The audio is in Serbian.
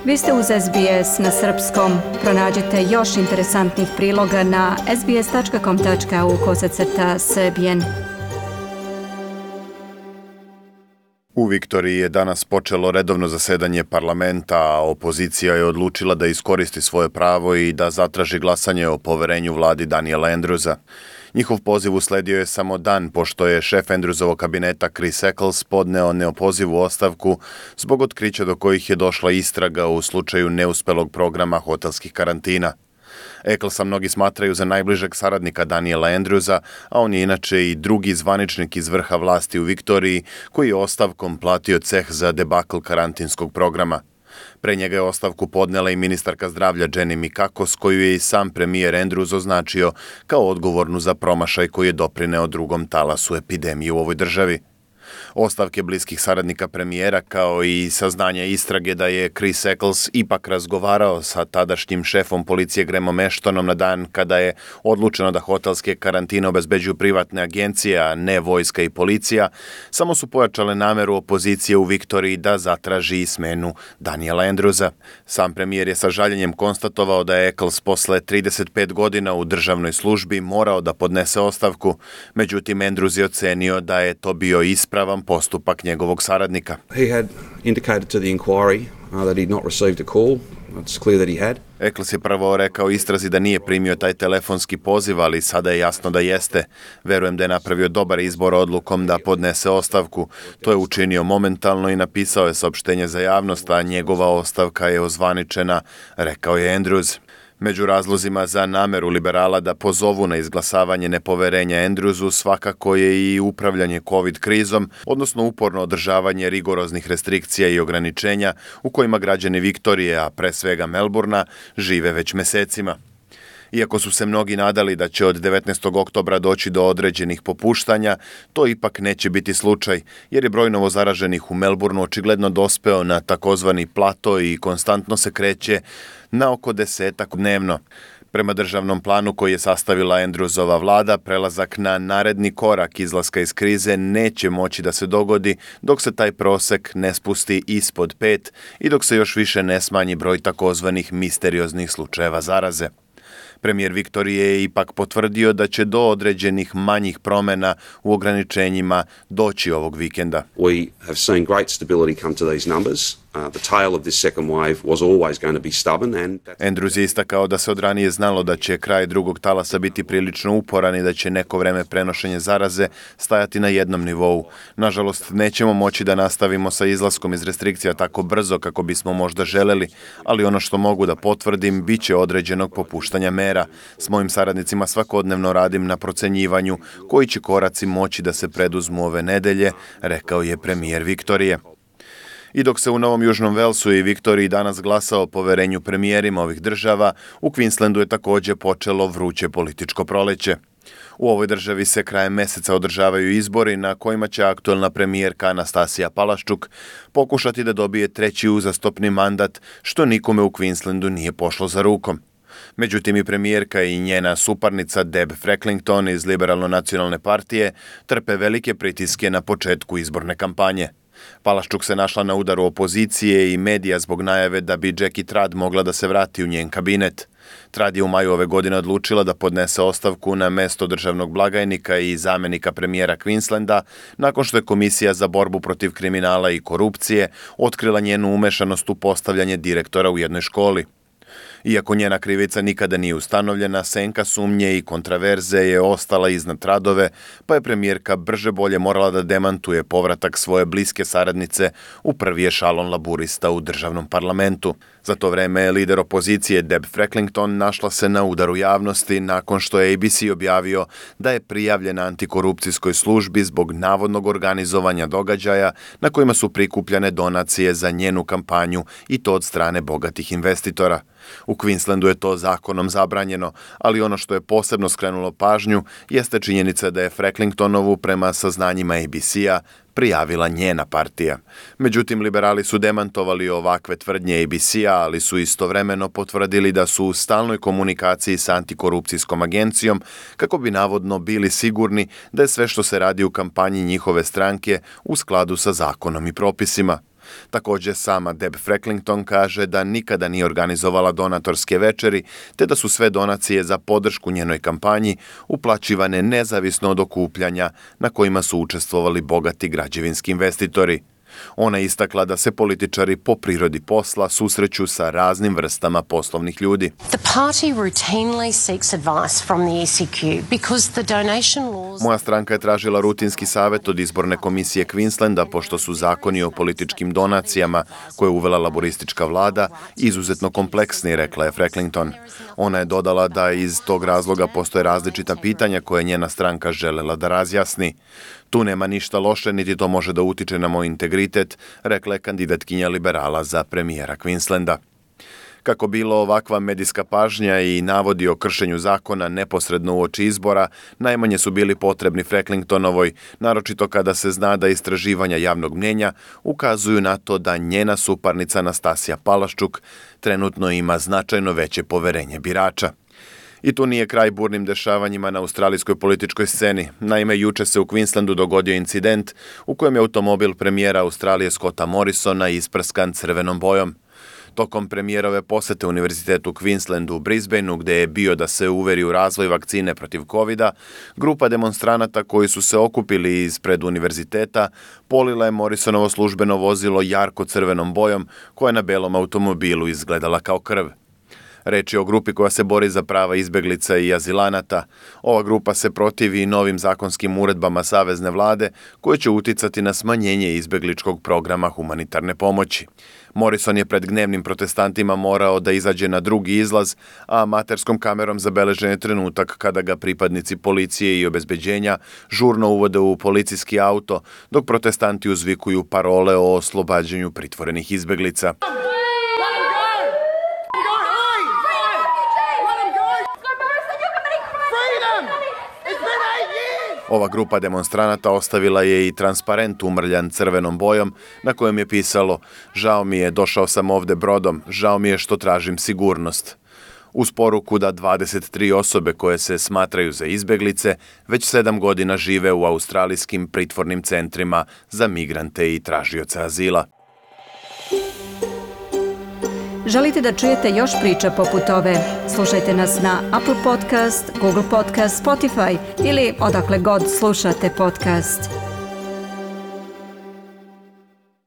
Vi ste uz SBS na srpskom. Pronađite još interesantnih priloga na sbs.com.au/srbijen. U Viktoriji je danas počelo redovno zasedanje parlamenta, a opozicija je odlučila da iskoristi svoje pravo i da zatraži glasanje o poverenju vladi Daniela Andrewsa. Njihov poziv usledio je samo dan pošto je šef Andrewsovog kabineta Chris Eccles podneo neopozivu ostavku zbog otkrića do kojih je došla istraga u slučaju neuspelog programa hotelskih karantina. Ecclesa mnogi smatraju za najbližeg saradnika Daniela Andrewsa, a on je inače i drugi zvaničnik iz vrha vlasti u Viktoriji koji je ostavkom platio ceh za debakl karantinskog programa. Pre njega je ostavku podnela i ministarka zdravlja Jenny Mikakos, koju je i sam premijer Andrews označio kao odgovornu za promašaj koji je doprineo drugom talasu epidemije u ovoj državi. Ostavke bliskih saradnika premijera kao i saznanja istrage da je Chris Eccles ipak razgovarao sa tadašnjim šefom policije Grahamom Ashtonom na dan kada je odlučeno da hotelske karantine obezbeđuju privatne agencije, a ne vojska i policija, samo su pojačale nameru opozicije u Viktoriji da zatraži smenu Daniela Andrewsa. Sam premijer je sa žaljenjem konstatovao da je Eccles posle 35 godina u državnoj službi morao da podnese ostavku, međutim Andrews je ocenio da je to bio ispravan postupak njegovog saradnika. He had indicated to the inquiry that he'd not received a call. It's clear that he had. Eccles je prvo rekao istrazi da nije primio taj telefonski poziv, ali sada je jasno da jeste. Verujem da je napravio dobar izbor odlukom da podnese ostavku. To je učinio momentalno i napisao je saopštenje za javnost, a njegova ostavka je ozvaničena, rekao je Andrews. Među razlozima za nameru liberala da pozovu na izglasavanje nepoverenja Andrewsu svakako je i upravljanje COVID krizom, odnosno uporno održavanje rigoroznih restrikcija i ograničenja u kojima građani Viktorije, a pre svega Melbourna, žive već mesecima. Iako su se mnogi nadali da će od 19. oktobra doći do određenih popuštanja, to ipak neće biti slučaj, jer je broj novozaraženih u Melbourneu očigledno dospeo na takozvani plato i konstantno se kreće na oko 10 dnevno. Prema državnom planu koji je sastavila Andrewsova vlada, prelazak na naredni korak izlaska iz krize neće moći da se dogodi dok se taj prosek ne spusti ispod 5 i dok se još više ne smanji broj takozvanih misterioznih slučajeva zaraze. Premijer Viktorije je ipak potvrdio da će do određenih manjih promjena u ograničenjima doći ovog vikenda. We have seen great stability come to these numbers. The tail of this second wave was always going to be stubborn. Andrews je istakao da se od ranije znalo da će kraj drugog talasa biti prilično uporan i da će neko vreme prenošenje zaraze stajati na jednom nivou. Nažalost, nećemo moći da nastavimo sa izlaskom iz restrikcija tako brzo kako bismo možda želeli, ali ono što mogu da potvrdim, bit će određenog popuštanja mera. S mojim saradnicima svakodnevno radim na procenjivanju koji će koraci moći da se preduzmu ove nedelje, rekao je premijer Viktorije. I dok se u Novom Južnom Velsu i Viktoriji danas glasa o poverenju premijerima ovih država, u Queenslandu je također počelo vruće političko proleće. U ovoj državi se krajem meseca održavaju izbori na kojima će aktuelna premijerka Anastasija Palaszczuk pokušati da dobije treći uzastopni mandat, što nikome u Queenslandu nije pošlo za rukom. Međutim, i premijerka i njena suparnica Deb Frecklington iz Liberalno-nacionalne partije trpe velike pritiske na početku izborne kampanje. Palaszczuk se našla na udaru opozicije i medija zbog najave da bi Jackie Trad mogla da se vrati u njen kabinet. Trad je u maju ove godine odlučila da podnese ostavku na mesto državnog blagajnika i zamenika premijera Queenslanda nakon što je Komisija za borbu protiv kriminala i korupcije otkrila njenu umešanost u postavljanje direktora u jednoj školi. Iako njena krivica nikada nije ustanovljena, senka sumnje i kontraverze je ostala iznad Tradove, pa je premijerka brže bolje morala da demantuje povratak svoje bliske saradnice u prvi ešalon laburista u državnom parlamentu. Za to vreme je lider opozicije Deb Frecklington našla se na udaru javnosti nakon što je ABC objavio da je prijavljena antikorupcijskoj službi zbog navodnog organizovanja događaja na kojima su prikupljane donacije za njenu kampanju i to od strane bogatih investitora. U Queenslandu je to zakonom zabranjeno, ali ono što je posebno skrenulo pažnju jeste činjenica da je Frecklingtonovu prema saznanjima ABC-a prijavila njena partija. Međutim, liberali su demantovali ovakve tvrdnje ABC-a, ali su istovremeno potvrdili da su u stalnoj komunikaciji sa antikorupcijskom agencijom kako bi navodno bili sigurni da je sve što se radi u kampanji njihove stranke u skladu sa zakonom i propisima. Također sama Deb Frecklington kaže da nikada nije organizovala donatorske večeri, te da su sve donacije za podršku njenoj kampanji uplaćivane nezavisno od okupljanja na kojima su učestvovali bogati građevinski investitori. Ona je istakla da se političari po prirodi posla susreću sa raznim vrstama poslovnih ljudi. The party routinely seeks advice from the ECQ because the donation laws... Moja stranka je tražila rutinski savjet od izborne komisije Queenslanda pošto su zakoni o političkim donacijama koje je uvela laboristička vlada izuzetno kompleksni, rekla je Frecklington. Ona je dodala da iz tog razloga postoje različita pitanja koje je njena stranka želela da razjasni. Tu nema ništa loše, niti to može da utiče na moj integritet, rekla je kandidatkinja liberala za premijera Queenslanda. Kako bilo, ovakva medijska pažnja i navodi o kršenju zakona neposredno uoči izbora najmanje su bili potrebni Frecklingtonovoj, naročito kada se zna da istraživanja javnog mnjenja ukazuju na to da njena suparnica Anastasija Palaščuk trenutno ima značajno veće poverenje birača. I tu nije kraj burnim dešavanjima na australijskoj političkoj sceni. Naime, juče se u Queenslandu dogodio incident u kojem je automobil premijera Australije Scotta Morrisona isprskan crvenom bojom. Tokom premijerove posete Univerzitetu Queenslandu u Brisbaneu, gde je bio da se uveri u razvoj vakcine protiv covida, grupa demonstranata koji su se okupili ispred univerziteta polila je Morrisonovo službeno vozilo jarko crvenom bojom koja je na belom automobilu izgledala kao krv. Reč je o grupi koja se bori za prava izbeglica i azilanata. Ova grupa se protivi novim zakonskim uredbama savezne vlade koje će uticati na smanjenje izbegličkog programa humanitarne pomoći. Morrison je pred gnevnim protestantima morao da izađe na drugi izlaz, a amaterskom kamerom zabeležen je trenutak kada ga pripadnici policije i obezbeđenja žurno uvode u policijski auto, dok protestanti uzvikuju parole o oslobađanju pritvorenih izbeglica. Ova grupa demonstranata ostavila je i transparent umrljan crvenom bojom na kojem je pisalo: "Žao mi je, došao sam ovde brodom, žao mi je što tražim sigurnost." Uz poruku da 23 osobe koje se smatraju za izbeglice već 7 godina žive u australijskim pritvornim centrima za migrante i tražioce azila. Želite da čujete još priča poput ove? Slušajte nas na Apple Podcast, Google Podcast, Spotify ili odakle god slušate podcast.